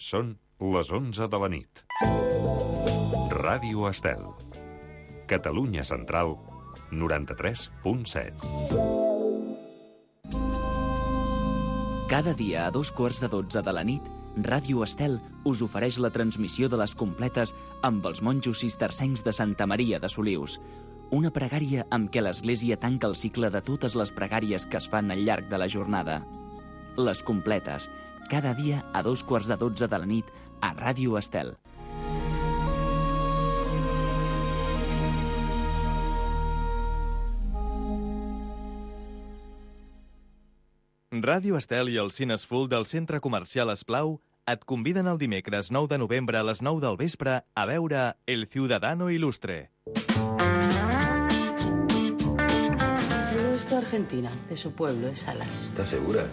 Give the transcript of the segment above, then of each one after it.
Són les 11 de la nit. Ràdio Estel. Catalunya Central, 93.7. Cada dia a 2:15 de la nit, Ràdio Estel us ofereix la transmissió de les completes amb els monjos cistercencs de Santa Maria de Solius. Una pregària amb què l'Església tanca el cicle de totes les pregàries que es fan al llarg de la jornada. Les completes, cada dia a 2:15 de la nit a Ràdio Estel. Ràdio Estel i el Cinesfull del Centre Comercial Esplau et conviden el dimecres 9 de novembre a les 9 del vespre a veure El Ciudadano Ilustre. Yo estoy argentina, de su pueblo, de Salas. ¿Estás segura?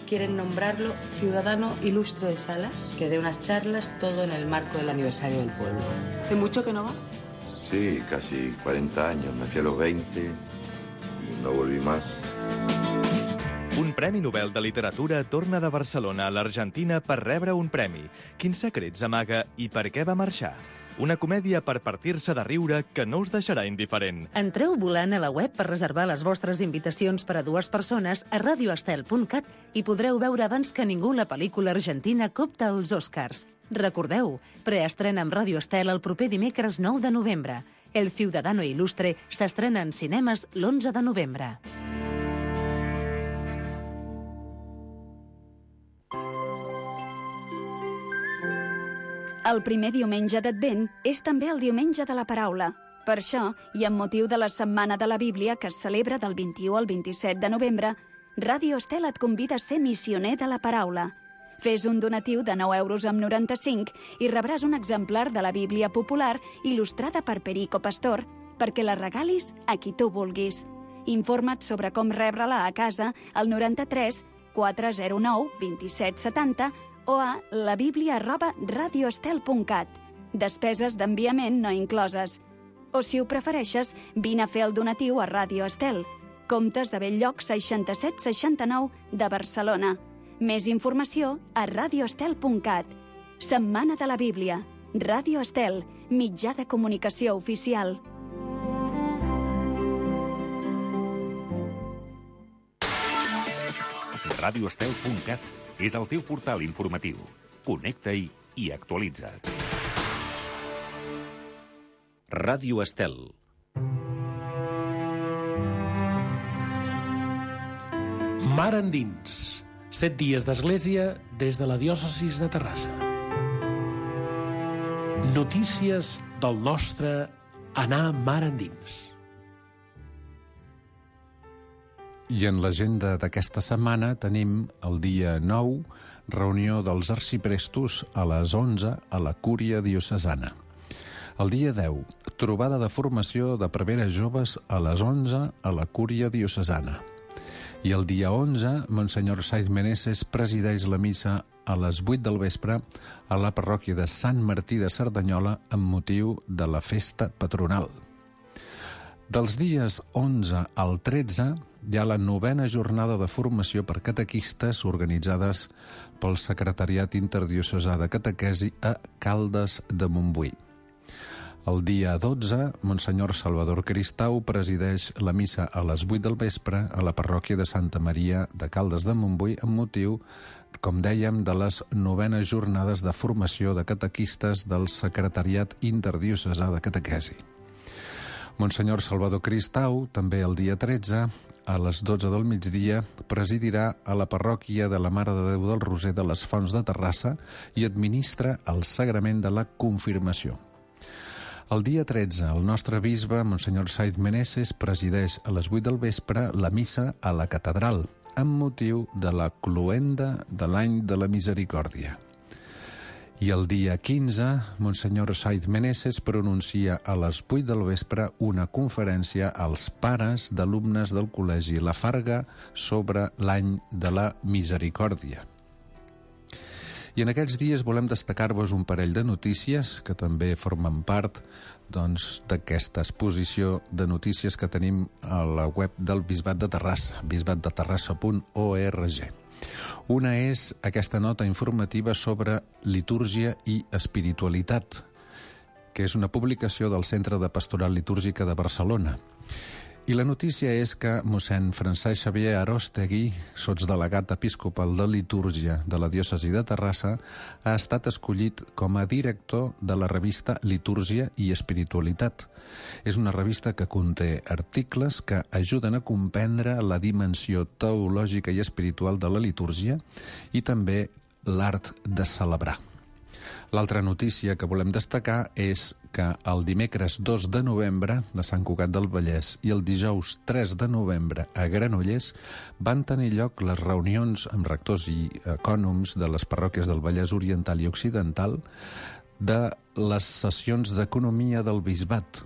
Quieren nombrarlo Ciudadano Ilustre de Salas, que dé unas charlas todo en el marco del aniversario del pueblo. ¿Hace mucho que no va? Sí, casi 40 años. Me fui a los 20 y no volví más. Un Premi Nobel de Literatura torna de Barcelona a l'Argentina per rebre un premi. Quins secrets amaga i per què va marxar? Una comèdia per partir-se de riure que no us deixarà indiferent. Entreu volant a la web per reservar les vostres invitacions per a 2 persones a radioestel.cat i podreu veure abans que ningú la pel·lícula argentina Copta als Oscars. Recordeu, preestrena amb Ràdio Estel el proper dimecres 9 de novembre. El Ciudadano Ilustre s'estrena en cinemes l'11 de novembre. El primer diumenge d'Advent és també el diumenge de la paraula. Per això, i amb motiu de la Setmana de la Bíblia, que es celebra del 21 al 27 de novembre, Ràdio Estel et convida a ser missioner de la paraula. Fes un donatiu de 9,95 € i rebràs un exemplar de la Bíblia popular il·lustrada per Perico Pastor, perquè la regalis a qui tu vulguis. Informa't sobre com rebre-la a casa al 93 409 2770 o a labiblia@radioestel.cat. Despeses d'enviament no incloses. O si ho prefereixes, vine a fer el donatiu a Ràdio Estel. Comptes de Belllloc 6769 de Barcelona. Més informació a radioestel.cat. Setmana de la Bíblia. Ràdio Estel, mitjà de comunicació oficial. Radioestel.cat és el teu portal informatiu. Connecta-hi i actualitza't. Ràdio Estel. Mar endins. 7 dies d'església des de la diòcesis de Terrassa. Notícies del nostre anar mar endins. I en l'agenda d'aquesta setmana tenim el dia 9, reunió dels arxiprestos a les 11 a la Cúria Diocesana. El dia 10, trobada de formació de preveres joves a les 11 a la Cúria Diocesana. I el dia 11, Monsenyor Saiz Meneses presideix la missa a les 8 del vespre a la parròquia de Sant Martí de Cerdanyola amb motiu de la festa patronal. Dels dies 11 al 13 hi ha la 9a jornada de formació per catequistes organitzades pel Secretariat Interdiocesà de Catequesi a Caldes de Montbui. El dia 12, Monsenyor Salvador Cristau presideix la missa a les 8 del vespre a la parròquia de Santa Maria de Caldes de Montbui amb motiu, com dèiem, de les 9a jornades de formació de catequistes del Secretariat Interdiocesà de Catequesi. Monsenyor Salvador Cristau, també el dia 13, a les 12 del migdia, presidirà a la parròquia de la Mare de Déu del Roser de les Fonts de Terrassa i administra el sagrament de la confirmació. El dia 13, el nostre bisbe, Monsenyor Saiz Meneses, presideix a les 8 del vespre la missa a la catedral, amb motiu de la cloenda de l'any de la misericòrdia. I el dia 15, Monsenyor Saiz Meneses pronuncia a les 8 del vespre una conferència als pares d'alumnes del Col·legi La Farga sobre l'any de la misericòrdia. I en aquests dies volem destacar-vos un parell de notícies que també formen part d'aquesta exposició de notícies que tenim a la web del Bisbat de Terrassa, bisbatdeterrassa.org. Una és aquesta nota informativa sobre litúrgia i espiritualitat, que és una publicació del Centre de Pastoral Litúrgica de Barcelona. I la notícia és que mossèn Francesc Xavier Arostegui, sotsdelegat episcopal de litúrgia de la diòcesi de Terrassa, ha estat escollit com a director de la revista Litúrgia i Espiritualitat. És una revista que conté articles que ajuden a comprendre la dimensió teològica i espiritual de la litúrgia i també l'art de celebrar. L'altra notícia que volem destacar és que el dimecres 2 de novembre de Sant Cugat del Vallès i el dijous 3 de novembre a Granollers van tenir lloc les reunions amb rectors i ecònoms de les parròquies del Vallès Oriental i Occidental de les sessions d'economia del bisbat,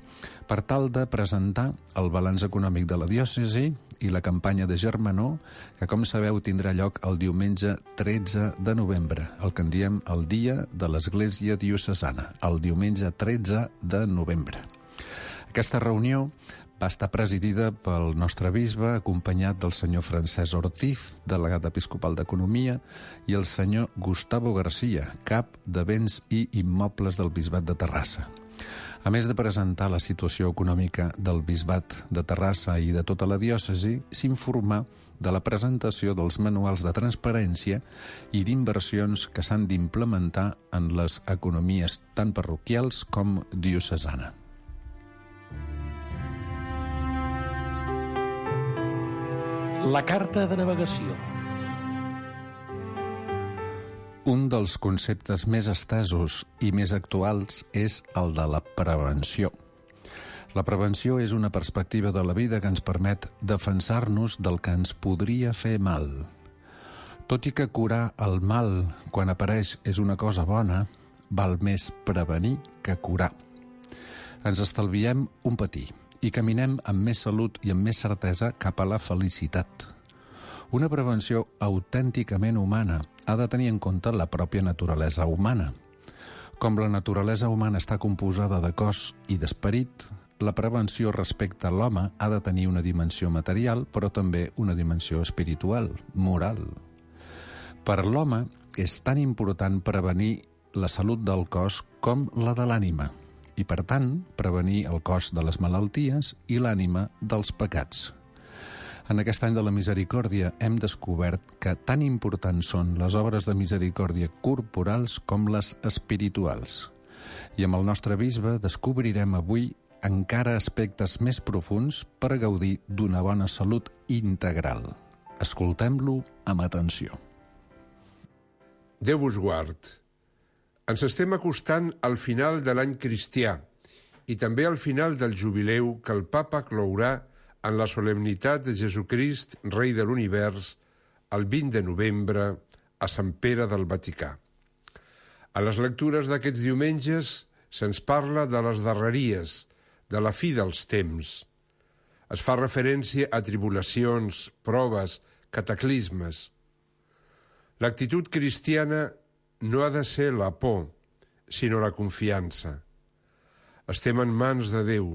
per tal de presentar el balanç econòmic de la diòcesi i la campanya de germanor, que, com sabeu, tindrà lloc el diumenge 13 de novembre, el que en diem el dia de l'Església Diocesana, el diumenge 13 de novembre. Aquesta reunió va estar presidida pel nostre bisbe, acompanyat del senyor Francesc Ortiz, delegat episcopal d'Economia, i el senyor Gustavo García, cap de béns i immobles del bisbat de Terrassa. A més de presentar la situació econòmica del bisbat de Terrassa i de tota la diòcesi, s'informà de la presentació dels manuals de transparència i d'inversions que s'han d'implementar en les economies tant parroquials com diocesana. La carta de navegació. Un dels conceptes més estesos i més actuals és el de la prevenció. La prevenció és una perspectiva de la vida que ens permet defensar-nos del que ens podria fer mal. Tot i que curar el mal quan apareix és una cosa bona, val més prevenir que curar. Ens estalviem un patir i caminem amb més salut i amb més certesa cap a la felicitat. Una prevenció autènticament humana ha de tenir en compte la pròpia naturalesa humana. Com la naturalesa humana està composada de cos i d'esperit, la prevenció respecte a l'home ha de tenir una dimensió material, però també una dimensió espiritual, moral. Per l'home és tan important prevenir la salut del cos com la de l'ànima, i per tant prevenir el cos de les malalties i l'ànima dels pecats. En aquest any de la misericòrdia hem descobert que tan importants són les obres de misericòrdia corporals com les espirituals. I amb el nostre bisbe descobrirem avui encara aspectes més profunds per gaudir d'una bona salut integral. Escoltem-lo amb atenció. Déu vos guard. Ens estem acostant al final de l'any cristià i també al final del jubileu que el Papa clourà en la solemnitat de Jesucrist, rei de l'univers, el 20 de novembre a Sant Pere del Vaticà. A les lectures d'aquests diumenges se'ns parla de les darreries, de la fi dels temps. Es fa referència a tribulacions, proves, cataclismes. L'actitud cristiana no ha de ser la por, sinó la confiança. Estem en mans de Déu.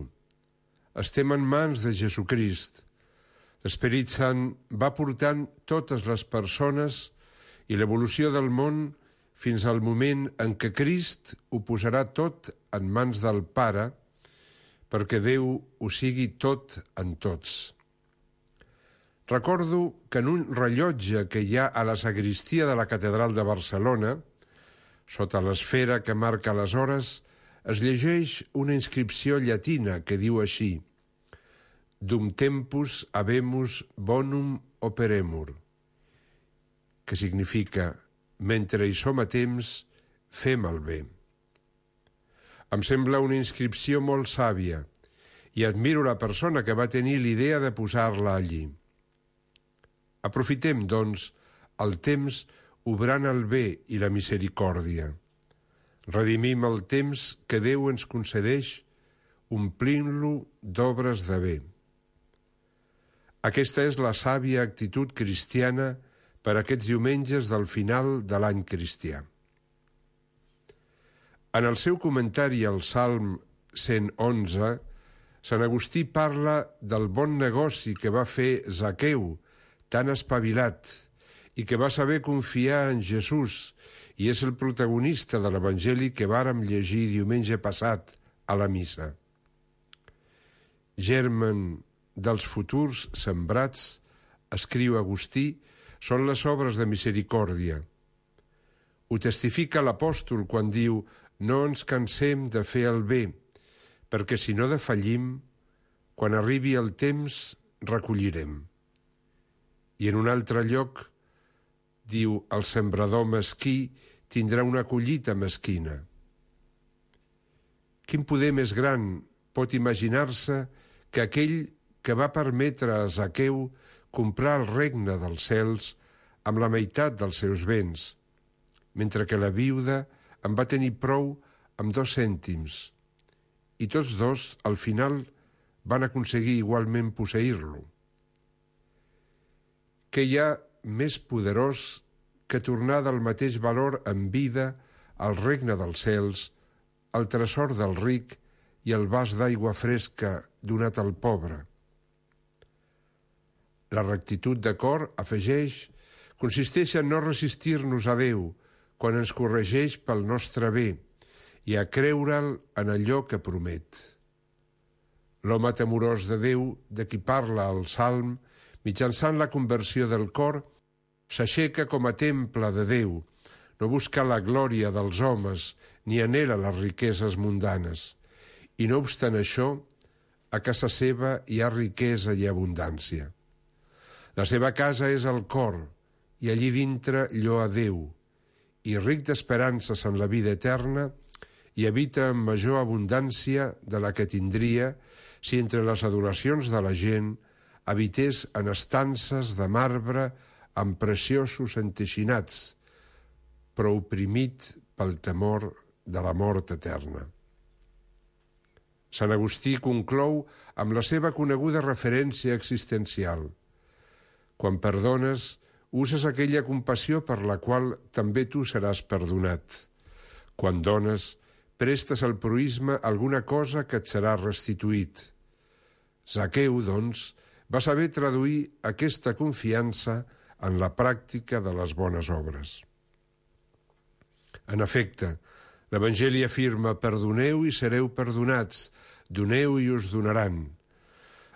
Estem en mans de Jesucrist. L'Esperit Sant va portant totes les persones i l'evolució del món fins al moment en què Crist ho posarà tot en mans del Pare perquè Déu ho sigui tot en tots. Recordo que en un rellotge que hi ha a la sagristia de la Catedral de Barcelona, sota l'esfera que marca les hores, es llegeix una inscripció llatina que diu així: Dum tempus habemus bonum operemur, que significa mentre hi som a temps, fem el bé. Em sembla una inscripció molt sàvia i admiro la persona que va tenir l'idea de posar-la allí. Aprofitem, doncs, el temps obrant el bé i la misericòrdia. Redimim el temps que Déu ens concedeix, omplint-lo d'obres de bé. Aquesta és la sàvia actitud cristiana per aquests diumenges del final de l'any cristià. En el seu comentari al Salm 111, Sant Agustí parla del bon negoci que va fer Zaqueu, tan espavilat, i que va saber confiar en Jesús i és el protagonista de l'Evangeli que vàrem llegir diumenge passat a la missa. Germen dels futurs sembrats, escriu Agustí, són les obres de misericòrdia. Ho testifica l'apòstol quan diu «No ens cansem de fer el bé, perquè si no defallim, quan arribi el temps, recollirem». I en un altre lloc diu «El sembrador mesquí tindrà una collita mesquina». Quin poder més gran pot imaginar-se que aquell que va permetre a Zaqueu comprar el regne dels cels amb la meitat dels seus béns, mentre que la viuda en va tenir prou amb 2 cèntims, i tots dos, al final, van aconseguir igualment posseir-lo. Què hi ha més poderós que tornar del mateix valor en vida al regne dels cels, al tresor del ric i el vas d'aigua fresca donat al pobre? La rectitud de cor, afegeix, consisteix en no resistir-nos a Déu quan ens corregeix pel nostre bé i a creure'l en allò que promet. L'home temorós de Déu, de qui parla el Salm, mitjançant la conversió del cor, s'aixeca com a temple de Déu, no busca la glòria dels homes ni anhela les riqueses mundanes. I no obstant això, a casa seva hi ha riquesa i abundància. La seva casa és el cor, i allí dintre lloa Déu, i ric d'esperances en la vida eterna, i habita en major abundància de la que tindria si entre les adoracions de la gent habités en estances de marbre amb preciosos enteixinats, però oprimit pel temor de la mort eterna. Sant Agustí conclou amb la seva coneguda referència existencial. Quan perdones, uses aquella compassió per la qual també tu seràs perdonat. Quan dones, prestes al proïsme alguna cosa que et serà restituït. Zaqueu, doncs, va saber traduir aquesta confiança en la pràctica de les bones obres. En efecte, l'Evangeli afirma «Perdoneu i sereu perdonats, doneu i us donaran».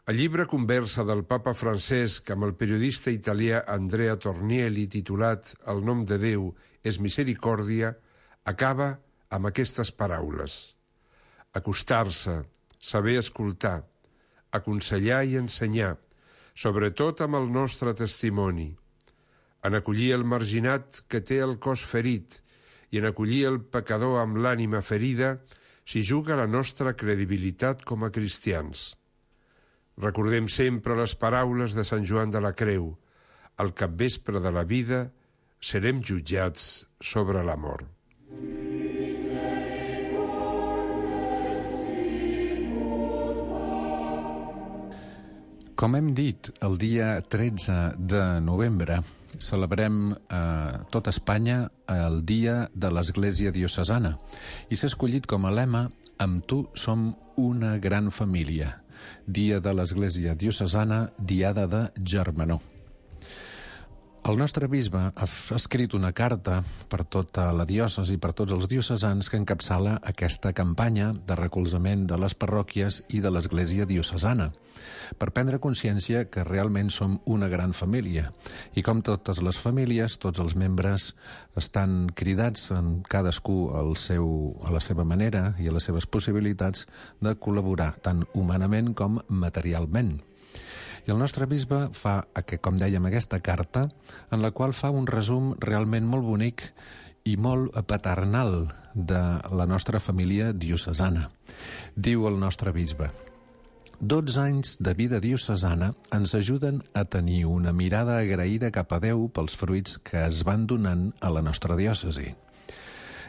El llibre Conversa del papa Francesc amb el periodista italià Andrea Tornielli, titulat «El nom de Déu és misericòrdia», acaba amb aquestes paraules. Acostar-se, saber escoltar, aconsellar i ensenyar, sobretot amb el nostre testimoni, en acollir el marginat que té el cos ferit i en acollir el pecador amb l'ànima ferida s'hi juga la nostra credibilitat com a cristians. Recordem sempre les paraules de Sant Joan de la Creu. Al capvespre de la vida serem jutjats sobre la mort. Com hem dit, el dia 13 de novembre celebrem a tot Espanya el Dia de l'Església Diocesana i s'ha escollit com a lema «Amb tu som una gran família». Dia de l'Església Diocesana, Diada de Germanor. El nostre bisbe ha escrit una carta per tota la diòcesi, per tots els diocesans, que encapçala aquesta campanya de recolzament de les parròquies i de l'Església Diocesana, per prendre consciència que realment som una gran família. I com totes les famílies, tots els membres estan cridats en cadascú a la seva manera i a les seves possibilitats de col·laborar, tant humanament com materialment. I el nostre bisbe fa, com dèiem, aquesta carta, en la qual fa un resum realment molt bonic i molt paternal de la nostra família diocesana. Diu el nostre bisbe: 12 anys de vida diocesana ens ajuden a tenir una mirada agraïda cap a Déu pels fruits que es van donant a la nostra diòcesi.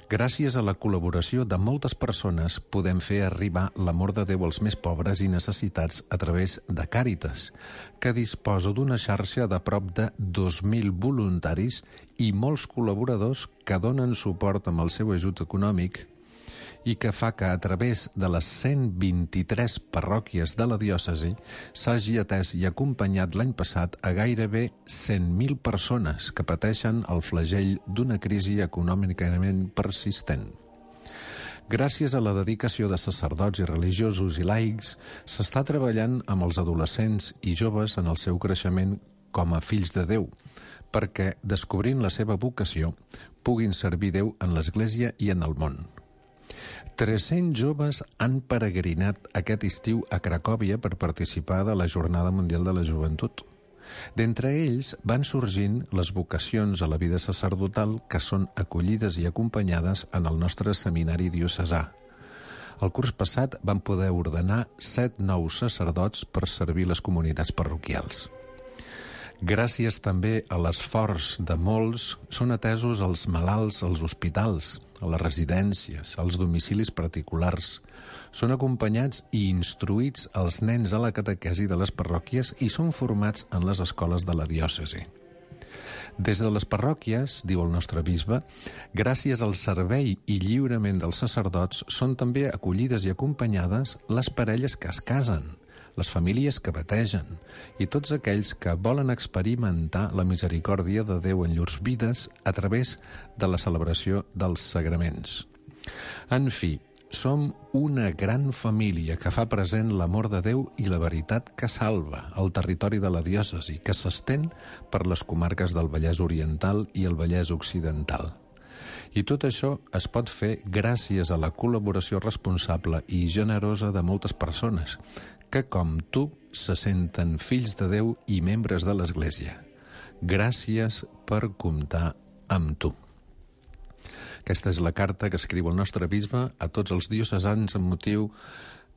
Gràcies a la col·laboració de moltes persones podem fer arribar l'amor de Déu als més pobres i necessitats a través de Càritas, que disposa d'una xarxa de prop de 2.000 voluntaris i molts col·laboradors que donen suport amb el seu ajut econòmic i que fa que a través de les 123 parròquies de la diòcesi s'hagi atès i acompanyat l'any passat a gairebé 100.000 persones que pateixen el flagell d'una crisi econòmicament persistent. Gràcies a la dedicació de sacerdots i religiosos i laics, s'està treballant amb els adolescents i joves en el seu creixement com a fills de Déu, perquè, descobrint la seva vocació, puguin servir Déu en l'Església i en el món. 300 joves han peregrinat aquest estiu a Cracòvia per participar de la Jornada Mundial de la Joventut. D'entre ells van sorgint les vocacions a la vida sacerdotal que són acollides i acompanyades en el nostre seminari diocesà. El curs passat van poder ordenar 7 nous sacerdots per servir les comunitats parroquials. Gràcies també a l'esforç de molts, són atesos els malalts als hospitals, a les residències, als domicilis particulars. Són acompanyats i instruïts els nens a la catequesi de les parròquies i són formats en les escoles de la diòcesi. Des de les parròquies, diu el nostre bisbe, gràcies al servei i lliurament dels sacerdots, són també acollides i acompanyades les parelles que es casen, les famílies que bategen i tots aquells que volen experimentar la misericòrdia de Déu en llurs vides a través de la celebració dels sagraments. En fi, som una gran família que fa present l'amor de Déu i la veritat que salva al territori de la diòcesi, que s'estén per les comarques del Vallès Oriental i el Vallès Occidental. I tot això es pot fer gràcies a la col·laboració responsable i generosa de moltes persones que, com tu, se senten fills de Déu i membres de l'Església. Gràcies per comptar amb tu. Aquesta és la carta que escriu el nostre bisbe a tots els diocesans amb motiu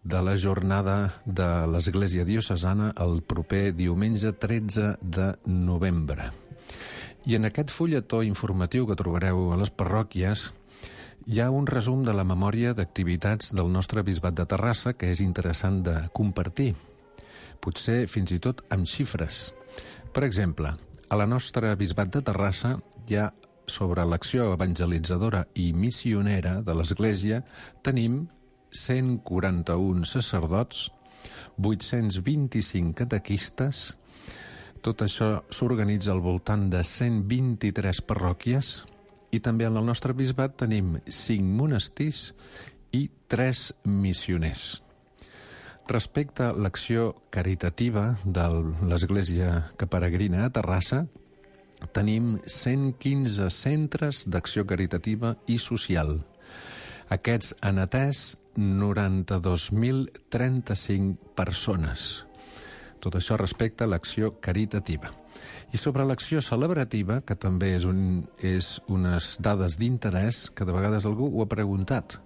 de la jornada de l'Església diocesana el proper diumenge 13 de novembre. I en aquest fulletó informatiu que trobareu a les parròquies hi ha un resum de la memòria d'activitats del nostre bisbat de Terrassa que és interessant de compartir, potser fins i tot amb xifres. Per exemple, a la nostra bisbat de Terrassa hi ha sobre l'acció evangelitzadora i missionera de l'Església tenim 141 sacerdots, 825 catequistes. Tot això s'organitza al voltant de 123 parròquies i també en el nostre bisbat tenim 5 monestirs i 3 missioners. Respecte a l'acció caritativa de l'Església que peregrina a Terrassa, tenim 115 centres d'acció caritativa i social. Aquests han atès 92.035 persones. Tot això respecte a l'acció caritativa. I sobre l'acció celebrativa, que també és unes dades d'interès, que de vegades algú ho ha preguntat.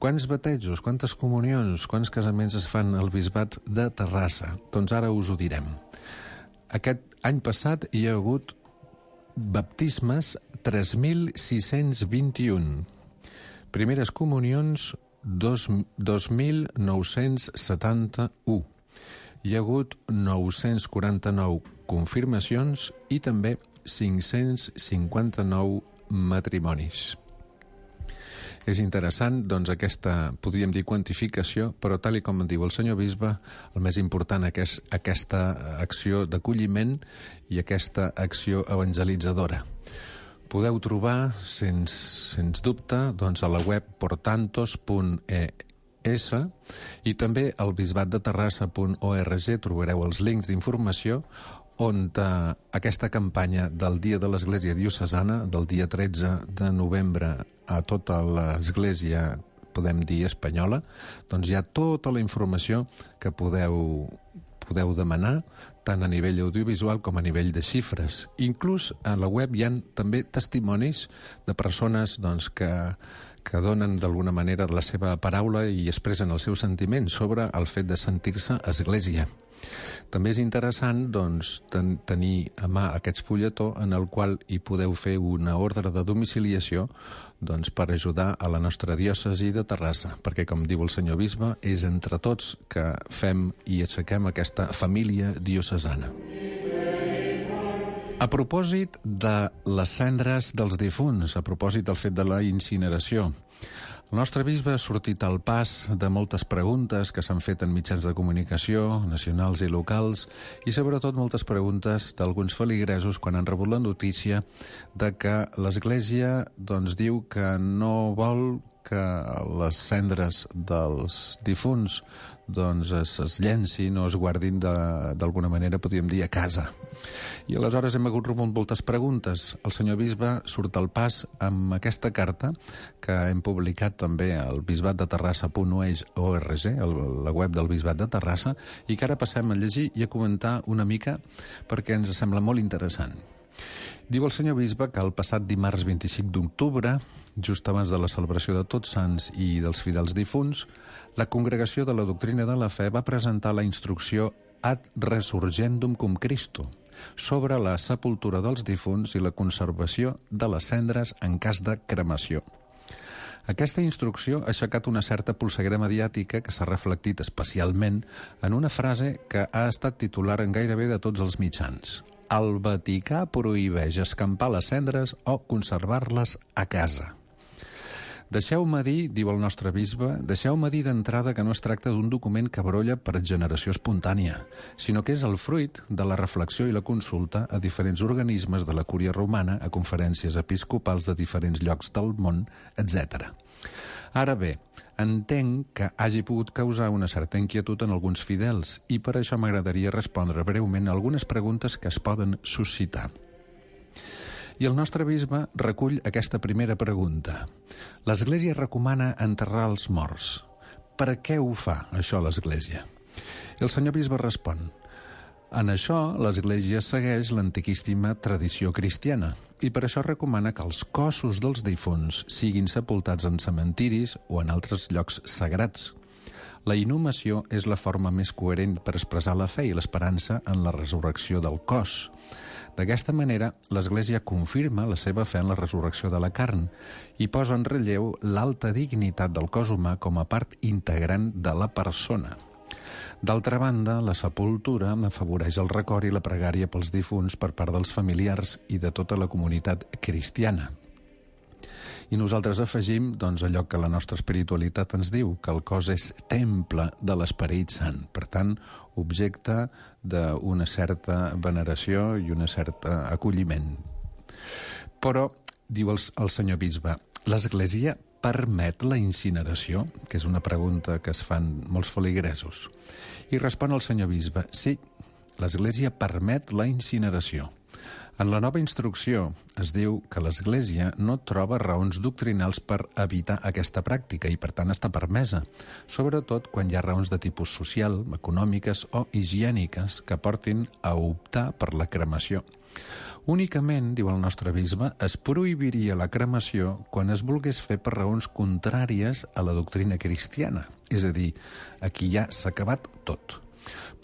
Quants batejos, quantes comunions, quants casaments es fan al bisbat de Terrassa? Doncs ara us ho direm. Aquest any passat hi ha hagut baptismes 3.621. Primeres comunions 2.971. Hi ha hagut 949 confirmacions i també 559 matrimonis. És interessant, doncs, aquesta, podríem dir, quantificació, però tal com diu el senyor bisbe, el més important és aquesta acció d'acolliment i aquesta acció evangelitzadora. Podeu trobar, sens dubte, doncs, a la web portantos.es i també al bisbatdeterrassa.org trobareu els links d'informació on aquesta campanya del Dia de l'Església Diocesana, del dia 13 de novembre a tota l'Església, podem dir, espanyola, doncs hi ha tota la informació que podeu demanar, tant a nivell audiovisual com a nivell de xifres. Inclús a la web hi ha també testimonis de persones doncs, que donen d'alguna manera la seva paraula i expressen els seus sentiments sobre el fet de sentir-se església. També és interessant doncs, tenir a mà aquest fulletó en el qual hi podeu fer una ordre de domiciliació doncs, per ajudar a la nostra diòcesi de Terrassa, perquè, com diu el senyor bisbe, és entre tots que fem i aixequem aquesta família diocesana. A propòsit de les cendres dels difunts, a propòsit del fet de la incineració, El nostre bisbe ha sortit al pas de moltes preguntes que s'han fet en mitjans de comunicació, nacionals i locals, i sobretot moltes preguntes d'alguns feligresos quan han rebut la notícia de que l'Església diu que no vol que les cendres dels difunts es llencin o es guardin d'alguna manera, podríem dir, a casa. I aleshores hem hagut rebut moltes preguntes. El senyor bisbe surt al pas amb aquesta carta que hem publicat també al bisbatdeterrassa.org, la web del Bisbat de Terrassa, i que ara passem a llegir i a comentar una mica perquè ens sembla molt interessant. Diu el senyor bisbe que el passat dimarts 25 d'octubre, just abans de la celebració de Tots Sants i dels fidels difunts, la Congregació de la Doctrina de la Fe va presentar la instrucció Ad Resurgendum cum Christo sobre la sepultura dels difunts i la conservació de les cendres en cas de cremació. Aquesta instrucció ha aixecat una certa polseguera mediàtica que s'ha reflectit especialment en una frase que ha estat titular en gairebé de tots els mitjans. El Vaticà prohibeix escampar les cendres o conservar-les a casa. Deixeu-me dir, diu el nostre bisbe, deixeu-me dir d'entrada que no es tracta d'un document que brolla per generació espontània, sinó que és el fruit de la reflexió i la consulta a diferents organismes de la Cúria Romana, a conferències episcopals de diferents llocs del món, etc. Ara bé, entenc que hagi pogut causar una certa inquietud en alguns fidels i per això m'agradaria respondre breument a algunes preguntes que es poden suscitar. I el nostre bisbe recull aquesta primera pregunta. L'Església recomana enterrar els morts. Per què ho fa, això, l'Església? I el senyor bisbe respon. En això, l'Església segueix l'antiquíssima tradició cristiana i per això recomana que els cossos dels difunts siguin sepultats en cementiris o en altres llocs sagrats. La inhumació és la forma més coherent per expressar la fe i l'esperança en la resurrecció del cos. D'aquesta manera, l'Església confirma la seva fe en la resurrecció de la carn i posa en relleu l'alta dignitat del cos humà com a part integrant de la persona. D'altra banda, la sepultura afavoreix el record i la pregària pels difunts per part dels familiars i de tota la comunitat cristiana. I nosaltres afegim allò que la nostra espiritualitat ens diu, que el cos és temple de l'Esperit Sant, per tant, objecte d'una certa veneració i un cert acolliment. Però, diu el senyor bisbe, l'Església permet la incineració? Que és una pregunta que es fan molts feligresos. I respon el senyor bisbe, sí, l'Església permet la incineració. En la nova instrucció es diu que l'Església no troba raons doctrinals per evitar aquesta pràctica i, per tant, està permesa, sobretot quan hi ha raons de tipus social, econòmiques o higièniques que portin a optar per la cremació. Únicament, diu el nostre bisbe, es prohibiria la cremació quan es volgués fer per raons contràries a la doctrina cristiana, és a dir, aquí ja s'ha acabat tot.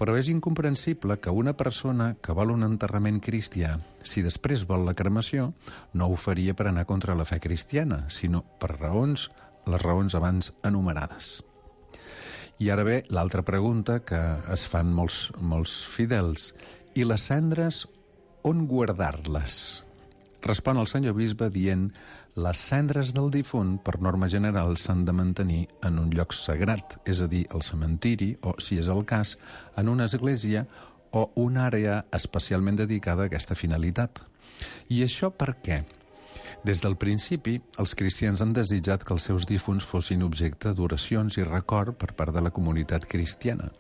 Però és incomprensible que una persona que vol un enterrament cristià, si després vol la cremació, no ho faria per anar contra la fe cristiana, sinó per les raons abans enumerades. I ara ve l'altra pregunta que es fan molts fidels. I les cendres, on guardar-les? Respon el senyor bisbe dient les cendres del difunt, per norma general, s'han de mantenir en un lloc sagrat, és a dir, al cementiri o, si és el cas, en una església o una àrea especialment dedicada a aquesta finalitat. I això per què? Des del principi, els cristians han desitjat que els seus difunts fossin objecte d'oracions i record per part de la comunitat cristiana.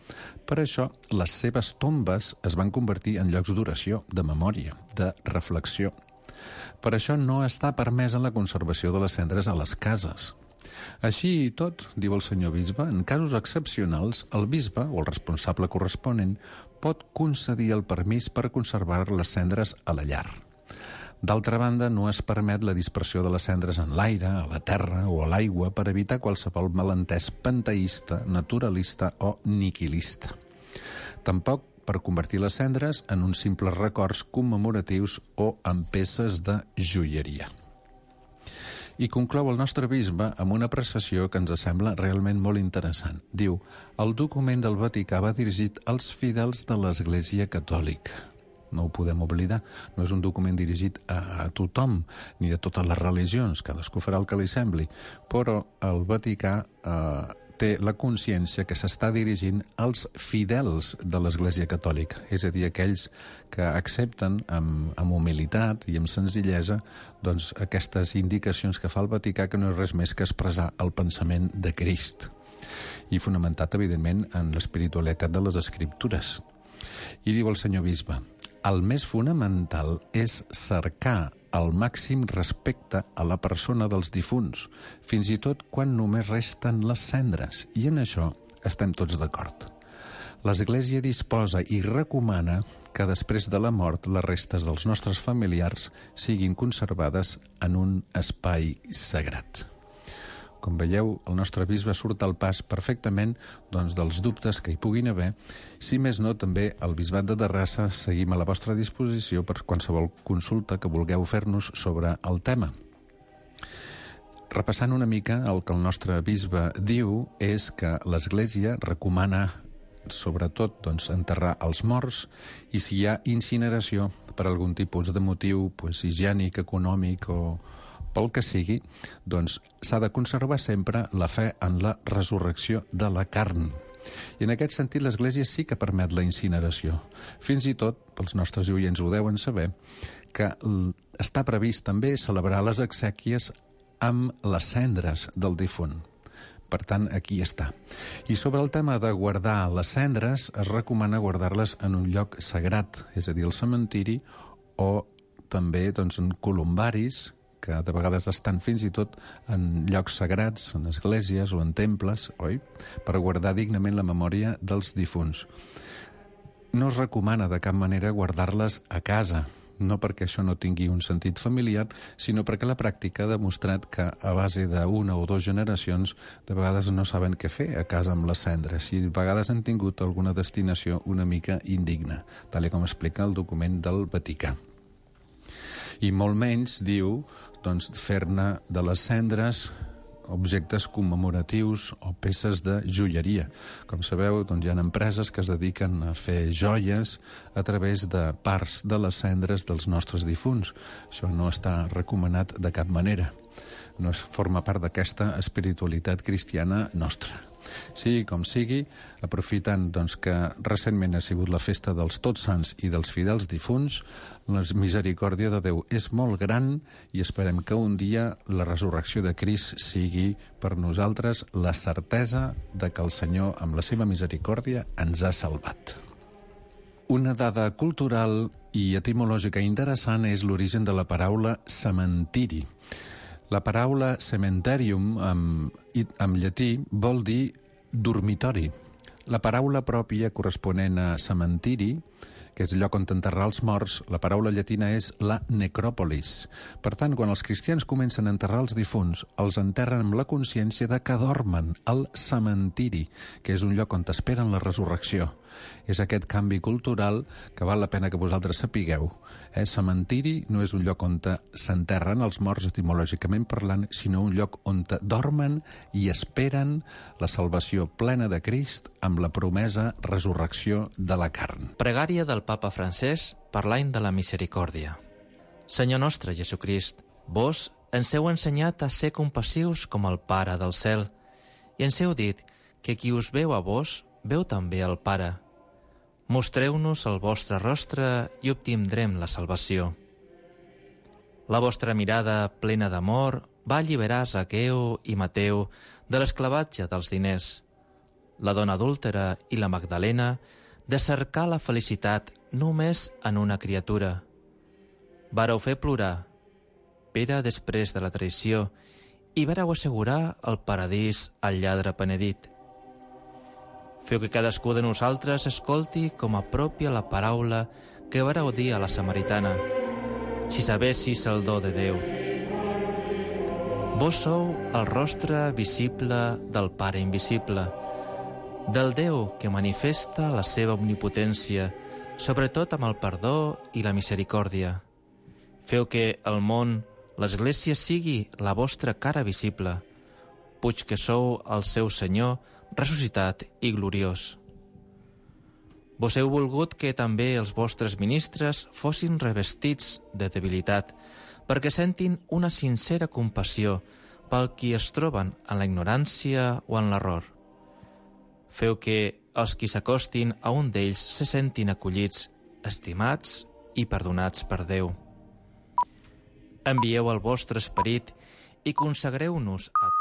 Per això, les seves tombes es van convertir en llocs d'oració, de memòria, de reflexió. Per això no està permesa la conservació de les cendres a les cases. Així i tot, diu el senyor bisbe, en casos excepcionals, el bisbe o el responsable corresponent pot concedir el permís per conservar les cendres a la llar. D'altra banda, no es permet la dispersió de les cendres en l'aire, a la terra o a l'aigua per evitar qualsevol malentès panteista, naturalista o niquilista. Tampoc per convertir les cendres en uns simples records commemoratius o en peces de joieria. I conclou el nostre bisbe amb una apreciació que ens sembla realment molt interessant. Diu, el document del Vaticà va dirigit als fidels de l'Església Catòlica. no ho podem oblidar. No és un document dirigit a tothom, ni a totes les religions, cadascú farà el que li sembli, però el Vaticà té la consciència que s'està dirigint als fidels de l'Església Catòlica, és a dir, aquells que accepten amb humilitat i amb senzillesa doncs, aquestes indicacions que fa el Vaticà, que no és res més que expressar el pensament de Crist, i fonamentat, evidentment, en l'espiritualitat de les Escriptures. I diu el senyor bisbe, el més fonamental és cercar el màxim respecte a la persona dels difunts, fins i tot quan només resten les cendres, i en això estem tots d'acord. L'Església disposa i recomana que després de la mort les restes dels nostres familiars siguin conservades en un espai sagrat. Com veieu, el nostre bisbe surt al pas perfectament doncs, dels dubtes que hi puguin haver. Si més no, també el Bisbat de Terrassa seguim a la vostra disposició per qualsevol consulta que vulgueu fer-nos sobre el tema. Repassant una mica, el que el nostre bisbe diu és que l'Església recomana sobretot doncs, enterrar els morts, i si hi ha incineració per algun tipus de motiu higiènic, econòmic o pel que sigui, doncs s'ha de conservar sempre la fe en la resurrecció de la carn. I en aquest sentit l'Església sí que permet la incineració. Fins i tot, pels nostres oients ho deuen saber, que està previst també celebrar les exèquies amb les cendres del difunt. Per tant, aquí està. I sobre el tema de guardar les cendres, es recomana guardar-les en un lloc sagrat, és a dir, el cementiri, o també doncs, en columbaris, que de vegades estan fins i tot en llocs sagrats, en esglésies o en temples, oi? Per guardar dignament la memòria dels difunts. No es recomana de cap manera guardar-les a casa, no perquè això no tingui un sentit familiar, sinó perquè la pràctica ha demostrat que a base d'una o dues generacions de vegades no saben què fer a casa amb les cendres i de vegades han tingut alguna destinació una mica indigna, tal com explica el document del Vaticà. I molt menys, diu, doncs, fer-ne de les cendres objectes commemoratius o peces de joieria. Com sabeu, doncs, hi ha empreses que es dediquen a fer joies a través de parts de les cendres dels nostres difunts. Això no està recomanat de cap manera. No forma part d'aquesta espiritualitat cristiana nostra. Sigui com sigui, aprofitant doncs, que recentment ha sigut la festa dels Tots Sants i dels fidels difunts, la misericòrdia de Déu és molt gran i esperem que un dia la resurrecció de Crist sigui per nosaltres la certesa de que el Senyor, amb la seva misericòrdia, ens ha salvat. Una dada cultural i etimològica interessant és l'origen de la paraula cementiri. La paraula cementerium, en llatí, vol dir dormitori. La paraula pròpia corresponent a cementiri, que és el lloc on enterrar els morts, la paraula llatina és la necròpolis. Per tant, quan els cristians comencen a enterrar els difunts, els enterren amb la consciència de que dormen al cementiri, que és un lloc on esperen la resurrecció. És aquest canvi cultural que val la pena que vosaltres sapigueu. Cementiri no és un lloc on s'enterren els morts etimològicament parlant, sinó un lloc on dormen i esperen la salvació plena de Crist amb la promesa resurrecció de la carn. Pregària del Papa Francesc per l'any de la misericòrdia. Senyor nostre Jesucrist, vos ens heu ensenyat a ser compassius com el Pare del cel i ens heu dit que qui us veu a vos veu també el Pare. Mostreu-nos el vostre rostre i obtindrem la salvació. La vostra mirada plena d'amor va alliberar Zaqueu i Mateu de l'esclavatge dels diners, la dona adúltera i la Magdalena de cercar la felicitat només en una criatura. Vareu fer plorar Pere després de la traïció i vareu assegurar el paradís al lladre penedit. Feu que cadascú de nosaltres escolti com a pròpia la paraula que vareu dir a la samaritana, si sabessis el do de Déu. Vos sou el rostre visible del Pare invisible, del Déu que manifesta la seva omnipotència, sobretot amb el perdó i la misericòrdia. Feu que el món, l'Església, sigui la vostra cara visible, puig que sou el seu Senyor ressuscitat i gloriós. Vos heu volgut que també els vostres ministres fossin revestits de debilitat, perquè sentin una sincera compassió pel qui es troben en la ignorància o en l'error. Feu que els qui s'acostin a un d'ells se sentin acollits, estimats i perdonats per Déu. Envieu el vostre esperit i consagreu-nos a tots